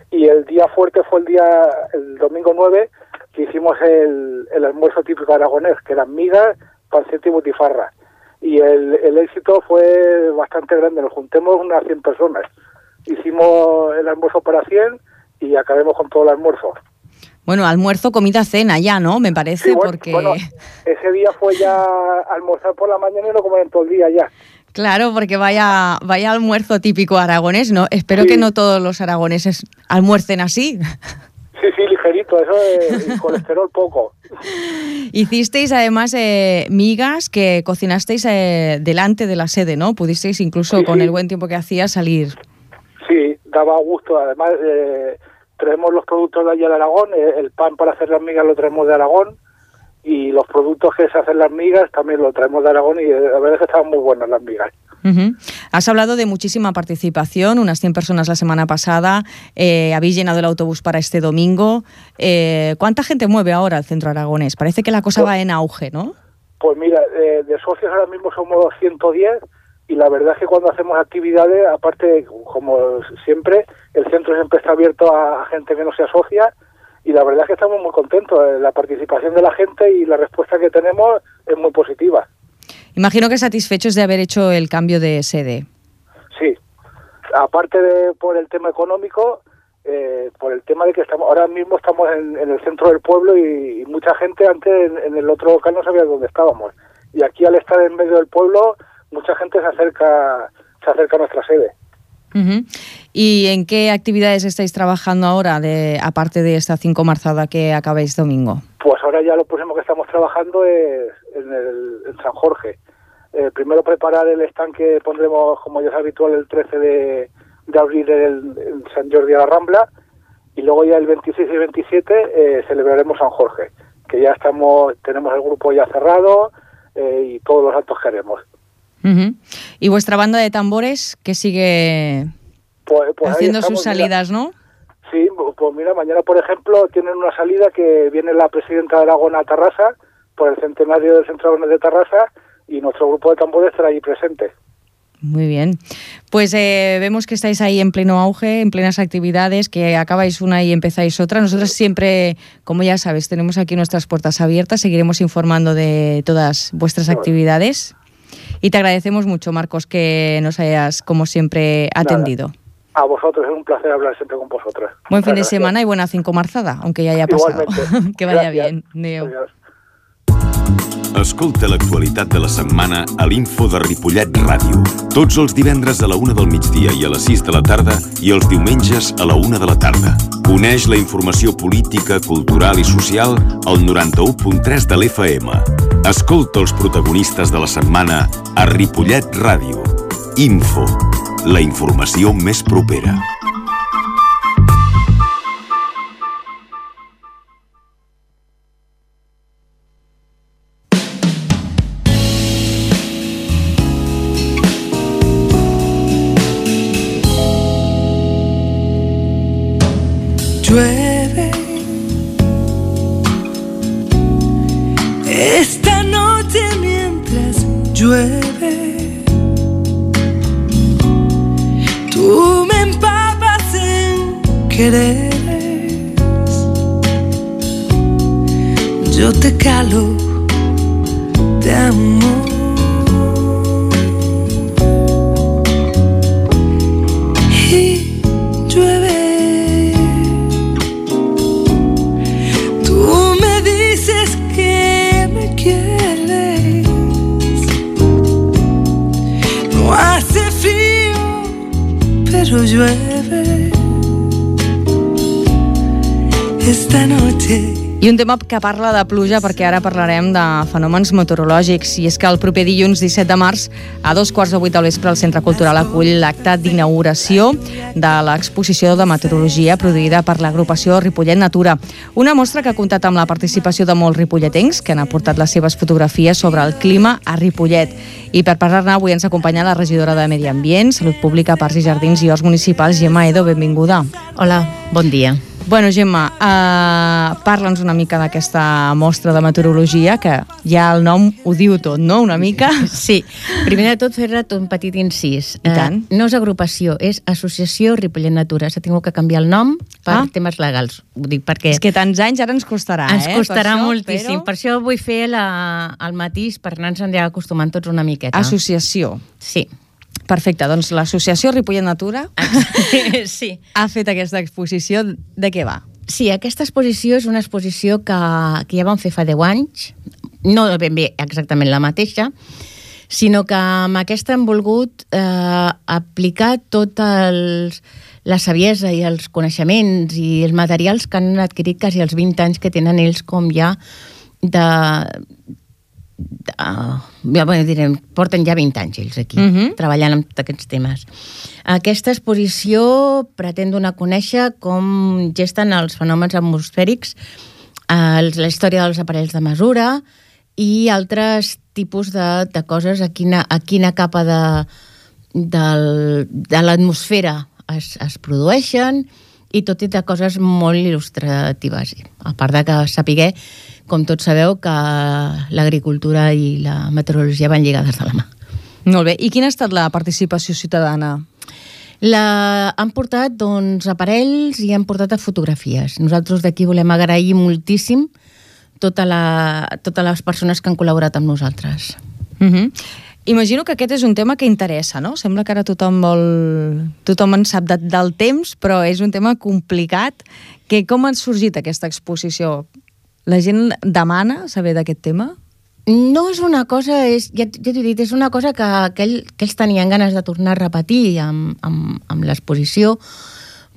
Y el día fuerte fue el día, el domingo nueve, que hicimos el, el almuerzo típico aragonés, que eran migas, panceta y butifarra. Y el, el éxito fue bastante grande, nos juntemos unas cien personas. Hicimos el almuerzo para cien y acabemos con todo el almuerzo. Bueno, almuerzo, comida, cena ya, ¿no? Me parece, Sí, bueno, porque... bueno, ese día fue ya almorzar por la mañana y no comer en todo el día ya. Claro, porque vaya, vaya almuerzo típico aragonés, ¿no? Espero Sí. que no todos los aragoneses almuercen así. Sí, sí, ligerito, eso es colesterol poco. Hicisteis además eh, migas que cocinasteis eh, delante de la sede, ¿no? Pudisteis incluso Sí, con sí. el buen tiempo que hacía salir. Sí, daba gusto. Además, eh, traemos los productos de allá de Aragón, eh, el pan para hacer las migas lo traemos de Aragón y los productos que se hacen las migas también lo traemos de Aragón y eh, la verdad es que estaban muy buenas las migas. Uh-huh. Has hablado de muchísima participación, unas cien personas la semana pasada, eh, habéis llenado el autobús para este domingo. Eh, ¿Cuánta gente mueve ahora el centro aragonés? Parece que la cosa Pues, va en auge, ¿no? Pues mira, eh, de socios ahora mismo somos ciento diez y la verdad es que cuando hacemos actividades, aparte, como siempre, el centro siempre está abierto a gente que no se asocia y la verdad es que estamos muy contentos. La participación de la gente y la respuesta que tenemos es muy positiva. Imagino que satisfechos de haber hecho el cambio de sede. Sí, aparte de por el tema económico, eh, por el tema de que estamos ahora mismo estamos en, en el centro del pueblo y, y mucha gente antes en, en el otro local no sabía dónde estábamos. Y aquí al estar en medio del pueblo, mucha gente se acerca, se acerca a nuestra sede. Uh-huh. ¿Y en qué actividades estáis trabajando ahora, de, aparte de esta cinco marzada que acabáis domingo? Pues ahora ya lo próximo que estamos trabajando es en, el, en San Jorge. Eh, primero preparar el stand que pondremos, como ya es habitual, el trece de, de abril en, en San Jordi a la Rambla, y luego ya el veintiséis y veintisiete eh, celebraremos San Jorge, que ya estamos, tenemos el grupo ya cerrado eh, y todos los actos que haremos. Uh-huh. ¿Y vuestra banda de tambores que sigue Pues, pues ahí haciendo estamos, sus salidas, mira. ¿no? Sí, pues mira, mañana por ejemplo tienen una salida que viene la presidenta de Aragón a Tarrasa por el centenario del Centro Aragonés de Tarrasa y nuestro grupo de tambores estará allí presente. Muy bien. Pues eh, vemos que estáis ahí en pleno auge, en plenas actividades, que acabáis una y empezáis otra. Nosotros siempre, como ya sabes, tenemos aquí nuestras puertas abiertas, seguiremos informando de todas vuestras Bueno. actividades y te agradecemos mucho, Marcos, que nos hayas, como siempre, atendido. Nada. A vosotros, es un placer hablar siempre con vosotros. Buen Muchas fin de gracias. semana y buena cinco marzada, aunque ya haya pasado. Igualmente. Que vaya Gracias. bien. Adéu. Adiós. Escolta l'actualitat de la setmana a l'Info de Ripollet Ràdio. Tots els divendres a la una del migdia i a les sis de la tarda i els diumenges a la una de la tarda. Coneix la informació política, cultural i social al noranta-u punt tres de l'F M. Escolta els protagonistes de la setmana a Ripollet Ràdio. Info, la informació més propera. Llueve esta noche mientras llueve, tú me empapas en quereres, yo te calo de amor. Y llueve. Tú me dices que me quieres pero llueve esta noche. I un tema que parla de pluja, perquè ara parlarem de fenòmens meteorològics, i és que el proper dilluns disset de març a dos quarts de vuit del vespre el Centre Cultural acull l'acte d'inauguració de l'exposició de meteorologia produïda per l'agrupació Ripollet Natura. Una mostra que ha comptat amb la participació de molts ripolletens que han aportat les seves fotografies sobre el clima a Ripollet. I per parlar-ne avui ens acompanya la regidora de Medi Ambient, Salut Pública, Parcs i Jardins i Horts Municipals, Gemma Edo, benvinguda. Hola, bon dia. Bueno, Gemma, eh, parla'ns una mica d'aquesta mostra de meteorologia, que ja el nom ho diu tot, no?, una mica. Sí, primer de tot fer-te un petit incís. I tant. Eh, no és agrupació, és Associació Ripollet Natura. S'ha tingut que canviar el nom per Ah. temes legals. Ho dic perquè... És que tants anys ara ens costarà, ens eh? Ens costarà per això, moltíssim. Però... Per això vull fer la, el matís per anar-nos ja acostumant tots una miqueta. Associació. Sí. Perfecte, doncs l'associació Ripollet Natura sí. ha fet aquesta exposició. De què va? Sí, aquesta exposició és una exposició que, que ja vam fer fa deu anys, no ben bé exactament la mateixa, sinó que amb aquesta hem volgut eh, aplicar tot els, la saviesa i els coneixements i els materials que han adquirit quasi els vint anys que tenen ells com ja de... Uh, ja, bueno, direm, porten ja vint anys ells aquí, uh -huh. treballant amb aquests temes. Aquesta exposició pretén donar a conèixer com gesten els fenòmens atmosfèrics, uh, la història dels aparells de mesura i altres tipus de, de coses a quina, a quina capa de, de, de l'atmosfera es, es produeixen, i tot i de coses molt il·lustratives. A part de que sapiguer, com tots sabeu, que l'agricultura i la meteorologia van lligades de la mà. Molt bé. I quina ha estat la participació ciutadana? La... Han portat doncs, aparells i han portat fotografies. Nosaltres d'aquí volem agrair moltíssim tota la... totes les persones que han col·laborat amb nosaltres. Uh-huh. Imagino que aquest és un tema que interessa, no? Sembla que ara tothom vol... Tothom en sap de, del temps, però és un tema complicat. Que, com ha sorgit aquesta exposició? La gent demana saber d'aquest tema? No és una cosa, és, ja, ja t'ho he dit, és una cosa que, que, ell, que ells tenien ganes de tornar a repetir amb, amb, amb l'exposició,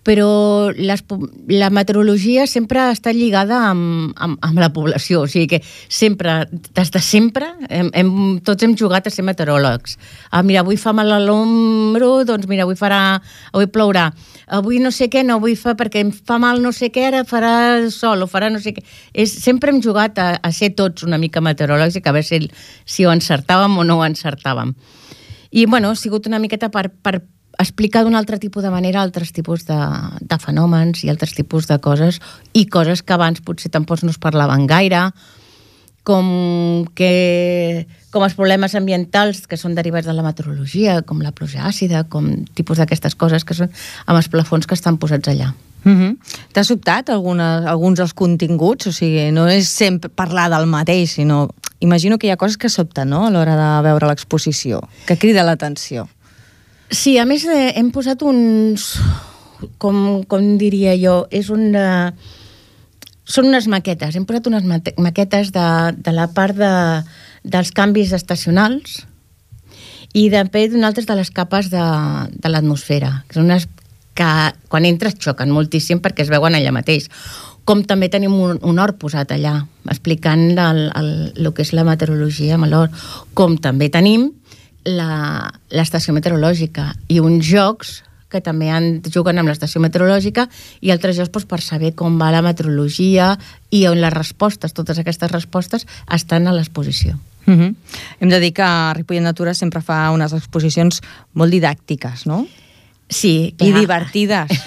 però les, la meteorologia sempre ha estat lligada amb, amb, amb la població, o sigui que sempre, des de sempre, hem, hem, tots hem jugat a ser meteoròlegs. Ah, mira, avui fa mal a l'ombro, doncs mira, avui farà, avui plourà. Avui no sé què, no vull fer perquè em fa mal no sé què, ara farà sol o farà no sé què. És, sempre hem jugat a, a ser tots una mica meteoròlegs i que a veure si, si ho encertàvem o no ho encertàvem. I, bueno, ha sigut una miqueta per, per explicar d'un altre tipus de manera altres tipus de, de fenòmens i altres tipus de coses i coses que abans potser tampoc no es parlaven gaire, com, que, com els problemes ambientals que són derivats de la meteorologia, com la pluja àcida, com tipus d'aquestes coses que són amb els plafons que estan posats allà. Uh-huh. T'ha sobtat alguna, alguns dels continguts? O sigui, no és sempre parlar del mateix, sinó... Imagino que hi ha coses que sobten, no?, a l'hora de veure l'exposició, que crida l'atenció. Sí, a més eh, hem posat uns... Com, com diria jo? És una... Són unes maquetes. Hem posat unes maquetes de, de la part de, dels canvis estacionals i també d'unes altres de les capes de, de l'atmosfera, que són unes que quan entres xoquen moltíssim perquè es veuen allà mateix. Com també tenim un, un hort posat allà, explicant el, el, el que és la meteorologia amb l'hort. Com també tenim l'estació meteorològica i uns jocs que també han, juguen amb l'estació meteorològica i altres jocs doncs, per saber com va la meteorologia i on les respostes, totes aquestes respostes, estan a l'exposició. Uh-huh. Hem de dir que Ripollet Natura sempre fa unes exposicions molt didàctiques, no? Sí, clar. I divertides.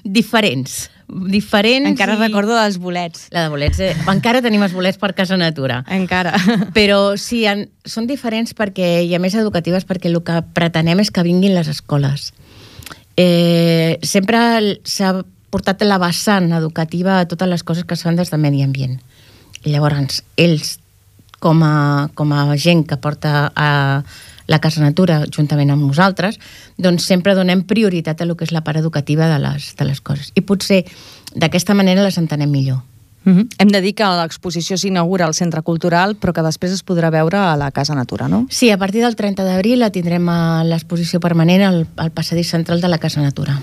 Diferents. Diferents. Encara i... recordo dels bolets. La de bolets. Eh? Encara tenim els bolets per Casa Natura. Encara. Però sí, en... són diferents perquè, i a més educatives, perquè el que pretenem és que vinguin les escoles. Eh, sempre s'ha portat la vessant educativa a totes les coses que es fan des de Medi Ambient. I llavors, ells, com a, com a gent que porta a la Casa Natura, juntament amb nosaltres, doncs sempre donem prioritat a lo que és la part educativa de les, de les coses. I potser d'aquesta manera les entenem millor. Uh-huh. Hem de dir que l'exposició s'inaugura al Centre Cultural, però que després es podrà veure a la Casa Natura, no? Sí, a partir del trenta d'abril la tindrem a l'exposició permanent al, al passadís central de la Casa Natura.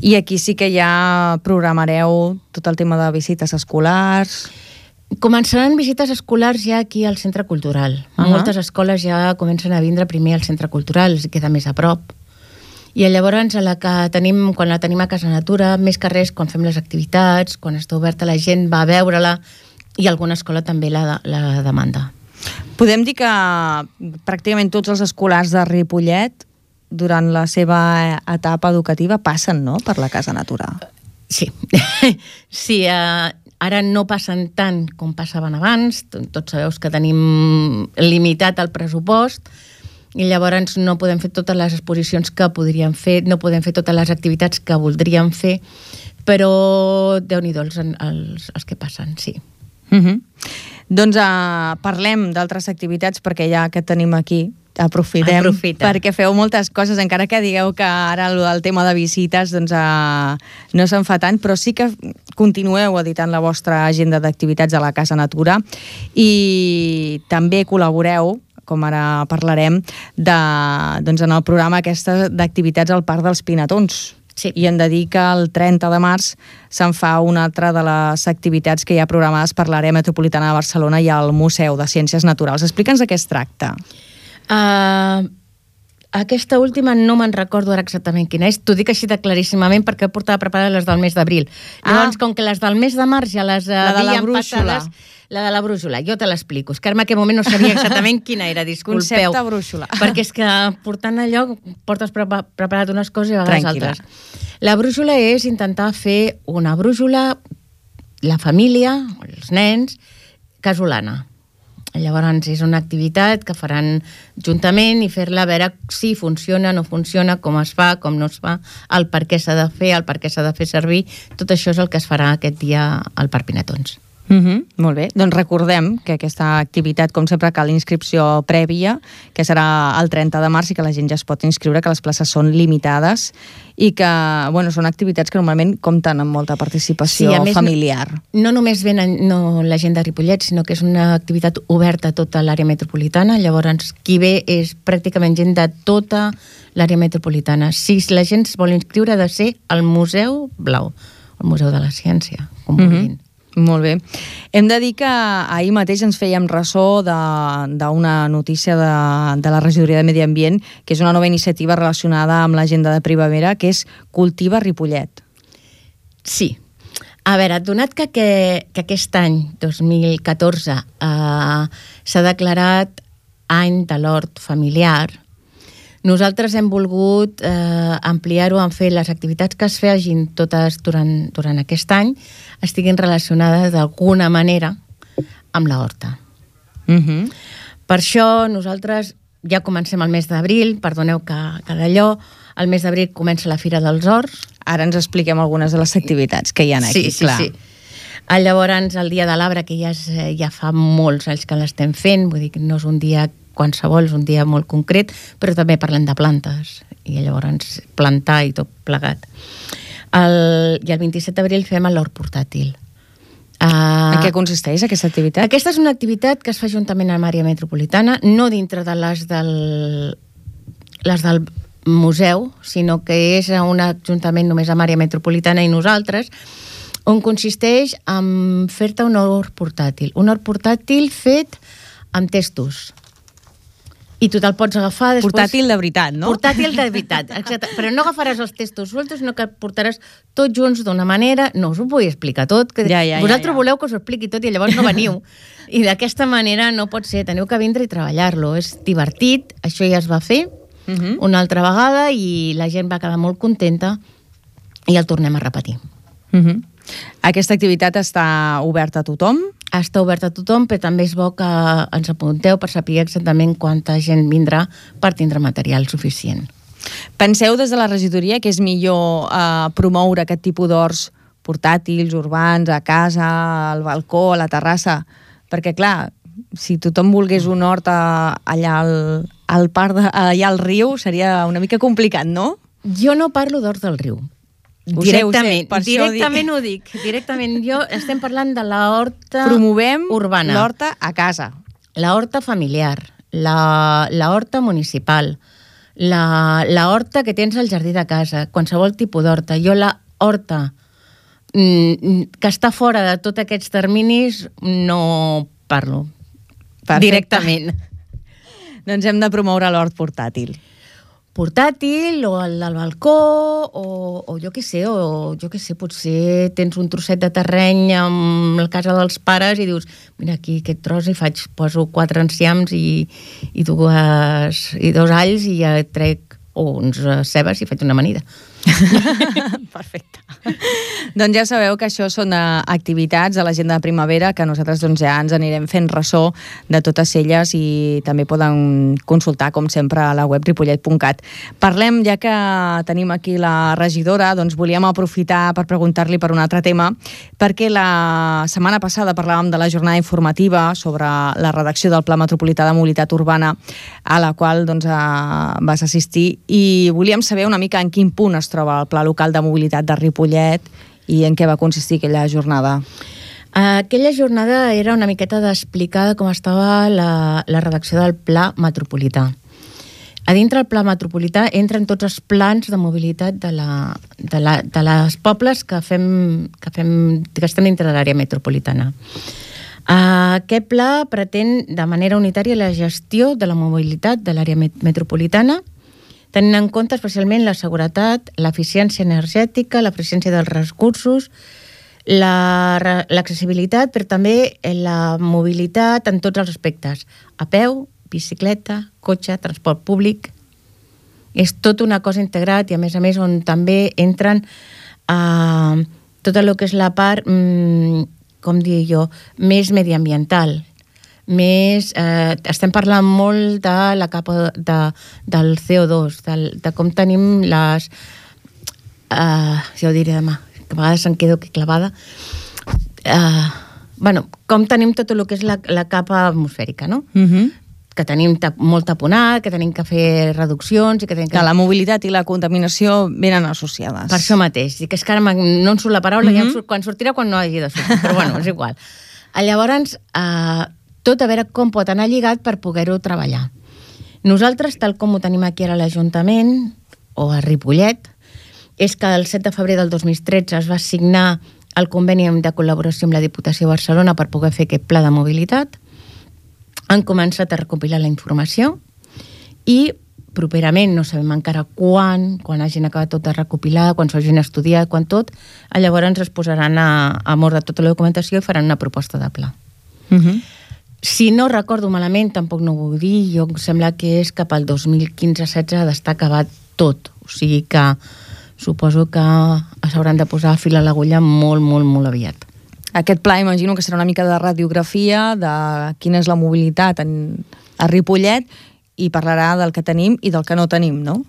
I aquí sí que ja programareu tot el tema de visites escolars. Començaran visites escolars ja aquí al Centre Cultural. Uh-huh. Moltes escoles ja comencen a vindre primer al Centre Cultural, els queda més a prop. I llavors, a la que tenim, quan la tenim a Casa Natura, més que res, quan fem les activitats, quan està oberta la gent va a veure-la, i alguna escola també la, la demanda. Podem dir que pràcticament tots els escolars de Ripollet, durant la seva etapa educativa, passen, no?, per la Casa Natura. Sí. Sí, eh, ara no passen tant com passaven abans. Tots sabeu que tenim limitat el pressupost, i llavors no podem fer totes les exposicions que podríem fer, no podem fer totes les activitats que voldríem fer, però Déu-n'hi-do els, els, els que passen, sí. Uh-huh. Doncs uh, parlem d'altres activitats, perquè ja que tenim aquí, aprofitem, Aprofita. perquè feu moltes coses, encara que digueu que ara el tema de visites doncs, uh, no se'n fa tant, però sí que continueu editant la vostra agenda d'activitats a la Casa Natura i també col·laboreu, com ara parlarem, de, doncs en el programa aquesta d'activitats al Parc dels Pinatons. Sí. I hem de dir que el trenta de març se'n fa una altra de les activitats que hi ha programades per l'àrea metropolitana de Barcelona i al Museu de Ciències Naturals. Explica'ns de què es tracta. Uh, aquesta última no me'n recordo ara exactament quina és. T'ho dic així de claríssimament perquè portava preparades les del mes d'abril. Ah. Llavors, com que les del mes de març ja les La de la havíem brúixola. passades... La de la brúixola, jo te l'explico. És que en aquell moment no sabia exactament quina era, disculpeu. Concepte brúixola. Perquè és que portant allò portes prepa preparat unes coses i a vegades Tranquil·la. altres. La brúixola és intentar fer una brúixola, la família, els nens, casolana. Llavors és una activitat que faran juntament i fer-la a veure si funciona, no funciona, com es fa, com no es fa, el per què s'ha de fer, el per què s'ha de fer servir. Tot això és el que es farà aquest dia al Parc Pinatons. Uh-huh, molt bé, doncs recordem que aquesta activitat, com sempre, cal inscripció prèvia, que serà el trenta de març i que la gent ja es pot inscriure, que les places són limitades i que, bueno, són activitats que normalment compten amb molta participació sí, més, familiar. No, no només venen no, la gent de Ripollet, sinó que és una activitat oberta a tota l'àrea metropolitana, llavors qui ve és pràcticament gent de tota l'àrea metropolitana. Si la gent es vol inscriure ha de ser al Museu Blau, el Museu de la Ciència, com Uh-huh. vulguin. Molt bé. Hem de dir que ahir mateix ens fèiem ressò d'una notícia de, de la Regidoria de Medi Ambient, que és una nova iniciativa relacionada amb l'agenda de primavera, que és Cultiva Ripollet. Sí. A veure, donat que, que, que aquest any, dos mil catorze, eh, s'ha declarat any de l'hort familiar, nosaltres hem volgut eh, ampliar-ho en fer les activitats que es fegin totes durant, durant aquest any estiguin relacionades d'alguna manera amb la horta. Uh-huh. Per això nosaltres ja comencem el mes d'abril, perdoneu que, que d'allò, el mes d'abril comença la Fira dels Horts. Ara ens expliquem algunes de les activitats que hi ha aquí, sí, sí, clar. Sí. Llavors, el Dia de l'Arbre, que ja, és, ja fa molts anys que l'estem fent, vull dir que no és un dia qualsevol, és un dia molt concret, però també parlem de plantes, i llavors plantar i tot plegat. El, I el vint-i-set d'abril fem l'hort portàtil. Uh, en què consisteix aquesta activitat? Aquesta és una activitat que es fa juntament amb l'àrea metropolitana, no dintre de les del, les del museu, sinó que és un ajuntament només amb àrea metropolitana i nosaltres, on consisteix en fer-te un hort portàtil. Un hort portàtil fet amb testos. I tu te'l pots agafar després... Portàtil de veritat, no? Portàtil de veritat, exacte. Però no agafaràs els testos sueltos, sinó que portaràs tots junts d'una manera... No us ho vull explicar tot, que ja, ja, vosaltres ja, ja. voleu que us ho expliqui tot i llavors no veniu. I d'aquesta manera no pot ser, teniu que vindre i treballar-lo. És divertit, això ja es va fer uh-huh. una altra vegada i la gent va quedar molt contenta i el tornem a repetir. Uh-huh. Aquesta activitat està oberta a tothom? Està oberta a tothom, però també és bo que ens apunteu per saber exactament quanta gent vindrà per tindre material suficient. Penseu des de la regidoria que és millor eh, promoure aquest tipus d'horts portàtils, urbans, a casa, al balcó, a la terrassa? Perquè, clar, si tothom volgués un hort a, allà al, al parc, de, allà al riu, seria una mica complicat, no? Jo no parlo d'horts del riu. Ho directament, sé, ho sé, per directament ho dic. Directament, jo estem parlant de la horta Promovem urbana. l'horta a casa. La horta familiar, la, la horta municipal, la, la horta que tens al jardí de casa, qualsevol tipus d'horta. Jo la horta mm, que està fora de tots aquests terminis no parlo. Perfecte. Directament. Doncs hem de promoure l'hort portàtil. Portàtil, o el del balcó, o, o jo què sé, o jo què sé, potser tens un trosset de terreny amb la casa dels pares i dius, mira, aquí aquest tros hi faig, poso quatre enciams i, i, dues, i dos alls i ja trec o uns cebes i faig una amanida. Perfecte. Doncs ja sabeu que això són activitats de l'agenda de primavera que nosaltres doncs, ja ens anirem fent ressò de totes elles i també poden consultar, com sempre, a la web ripollet punt cat. Parlem, ja que tenim aquí la regidora, doncs volíem aprofitar per preguntar-li per un altre tema, perquè la setmana passada parlàvem de la jornada informativa sobre la redacció del Pla Metropolità de Mobilitat Urbana, a la qual doncs, vas assistir, i volíem saber una mica en quin punt es troba el Pla Local de Mobilitat de Ripollet i en què va consistir aquella jornada. Aquella jornada era una miqueta d'explicar com estava la, la redacció del Pla Metropolità. A dintre del Pla Metropolità entren tots els plans de mobilitat de, la, de, la, de les pobles que, fem, que, fem, que estem dintre de l'àrea metropolitana. Aquest pla pretén de manera unitària la gestió de la mobilitat de l'àrea metropolitana, tenint en compte especialment la seguretat, l'eficiència energètica, l'eficiència dels recursos, l'accessibilitat, però també la mobilitat en tots els aspectes. A peu, bicicleta, cotxe, transport públic. És tot una cosa integrat i, a més a més, on també entren eh, tot el que és la part, mm, com dir jo, més mediambiental. Més, eh, estem parlant molt de la capa de, del C O dos, de, de com tenim les... Eh, ja ho diré demà, que a vegades em quedo aquí clavada. Eh, bueno, com tenim tot el que és la, la capa atmosfèrica, no? Uh-huh. Que tenim tap, molt taponat, que tenim que fer reduccions... I que, tenim que... que la mobilitat i la contaminació venen associades. Per això mateix. I que és que ara no em surt la paraula, uh-huh. ja surt, quan sortirà quan no hagi de sortir, però bueno, és igual. Llavors... Eh, tot a veure com pot anar lligat per poder-ho treballar. Nosaltres, tal com ho tenim aquí ara a l'Ajuntament, o a Ripollet, és que el set de febrer del dos mil tretze es va signar el conveni de col·laboració amb la Diputació de Barcelona per poder fer aquest pla de mobilitat. Han començat a recopilar la informació i properament, no sabem encara quan, quan hagin acabat tot de recopilar, quan s'hagin estudiat, quan tot, llavors es posaran a, a mort de tota la documentació i faran una proposta de pla. Uh-huh. Si no recordo malament, tampoc no ho vull dir, jo em sembla que és cap al dos mil quinze setze d'estar acabat tot. O sigui que suposo que s'hauran de posar fil a l'agulla molt, molt, molt aviat. Aquest pla imagino que serà una mica de radiografia de quina és la mobilitat en, a Ripollet i parlarà del que tenim i del que no tenim, no?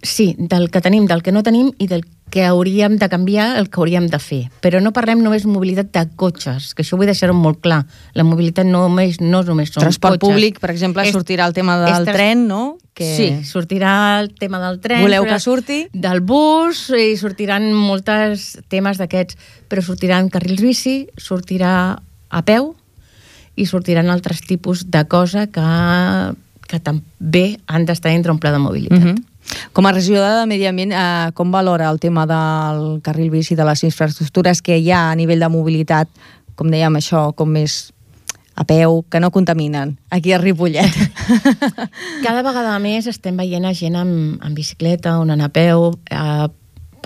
Sí, del que tenim, del que no tenim i del que hauríem de canviar, el que hauríem de fer. Però no parlem només de mobilitat de cotxes, que això vull deixar-ho molt clar. La mobilitat no, només, no només són transport cotxes. Públic, per exemple, és, sortirà el tema del trans... tren, no? Que... Sí, sortirà el tema del tren. Voleu que surti? Del bus, i sortiran molts temes d'aquests, però sortiran carrils bici, sortirà a peu i sortiran altres tipus de cosa que, que també han d'estar dintre un pla de mobilitat. Uh-huh. Com a regidora de Medi Ambient, eh, com valora el tema del carril bici, de les infraestructures que hi ha a nivell de mobilitat, com dèiem això, com més a peu, que no contaminen, aquí a Ripollet? Cada vegada més estem veient a gent amb, amb bicicleta, on anar a peu. Eh,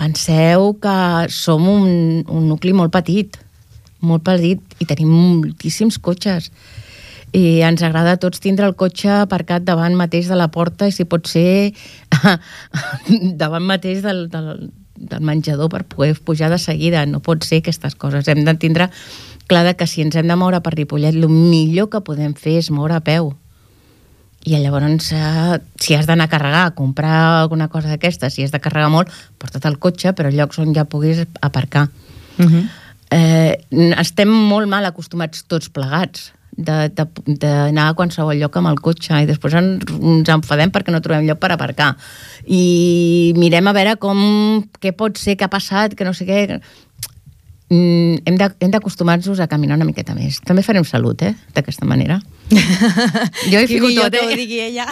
penseu que som un, un nucli molt petit, molt petit, i tenim moltíssims cotxes. I ens agrada a tots tindre el cotxe aparcat davant mateix de la porta i si pot ser davant mateix del, del, del menjador per poder pujar de seguida. No pot ser aquestes coses. Hem de tindre clar que si ens hem de moure per Ripollet, el millor que podem fer és moure a peu. I llavors, si has d'anar a carregar, a comprar alguna cosa d'aquesta, si has de carregar molt, porta't el cotxe, però llocs on ja puguis aparcar. Uh-huh. Eh, estem molt mal acostumats tots plegats d'anar a qualsevol lloc amb el cotxe i després ens enfadem perquè no trobem lloc per aparcar. I mirem a veure com, què pot ser, què ha passat, que no sé què... Mm, hem d'acostumar-nos a caminar una miqueta més. També farem salut, eh?, d'aquesta manera. Jo hi fico tot, eh? Ho digui ella.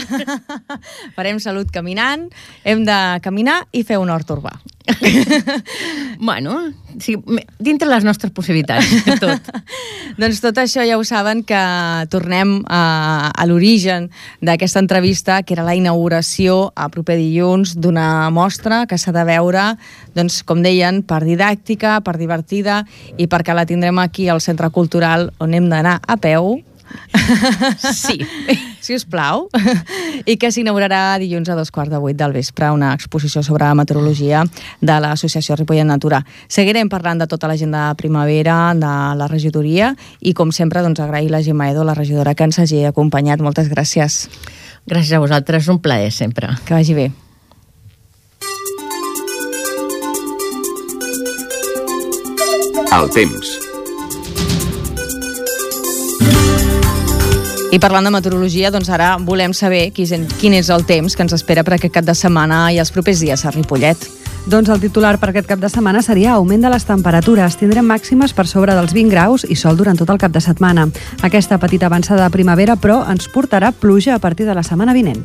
Farem salut caminant, hem de caminar i fer un hort urbà. Bueno, sí, dintre les nostres possibilitats, tot. Doncs tot això ja ho saben, que tornem a, a l'origen d'aquesta entrevista, que era la inauguració a proper dilluns d'una mostra que s'ha de veure, doncs, com deien, per didàctica, per divertida i perquè la tindrem aquí al Centre Cultural, on hem d'anar a peu. Sí. Si us plau. I que s'inaugurarà dilluns a dos quarts de vuit del vespre, una exposició sobre meteorologia de l'Associació Ripollet Natura. Seguirem parlant de tota l'agenda de primavera, de la regidoria, i com sempre, doncs, agrair la Gemma Edo, la regidora, que ens hagi acompanyat. Moltes gràcies. Gràcies a vosaltres, un plaer sempre. Que vagi bé. El temps. I parlant de meteorologia, doncs ara volem saber quin és el temps que ens espera per aquest cap de setmana i els propers dies a Ripollet. Doncs el titular per aquest cap de setmana seria augment de les temperatures. Tindrem màximes per sobre dels vint graus i sol durant tot el cap de setmana. Aquesta petita avançada de primavera, però, ens portarà pluja a partir de la setmana vinent.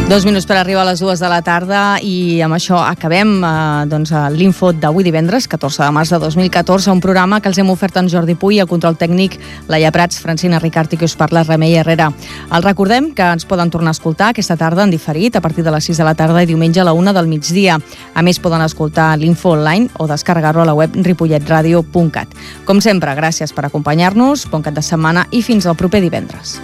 Dos minuts per arribar a les dues de la tarda i amb això acabem eh, doncs, l'info d'avui divendres, catorze de març de dos mil catorze, un programa que els hem ofert en Jordi Puy, a control tècnic Laia Prats, Francina Ricart i que us parla Remei Herrera. Els recordem que ens poden tornar a escoltar aquesta tarda en diferit a partir de les sis de la tarda i diumenge a la una del migdia. A més, poden escoltar l'info online o descarregar-lo a la web ripollet radio punt cat. Com sempre, gràcies per acompanyar-nos, bon cap de setmana i fins al proper divendres.